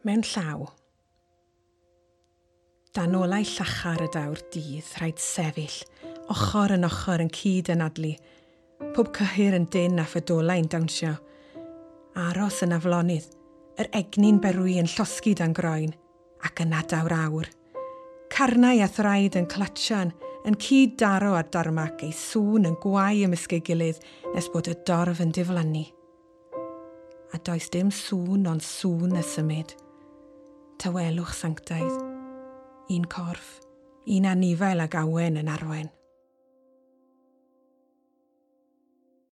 Mewn llaw. Dan olau llachar y daw'r dydd, rhaid sefyll, ochr yn ochr yn cyd yn adlu, pob cyhyr yn dyn a ffydolau'n dawnsio. Aros yn aflonydd, yr egni'n berwi yn llosgi dan groen, ac yna daw'r awr. Carnau a thraed yn clatsian, yn cyd daro ar darmac ei sŵn yn gwau ymysg ei gilydd nes bod y dorf yn diflannu. A does dim sŵn ond sŵn y symud. Tawelwch sanctaidd. Un corff, un anifail ag awen yn arwen.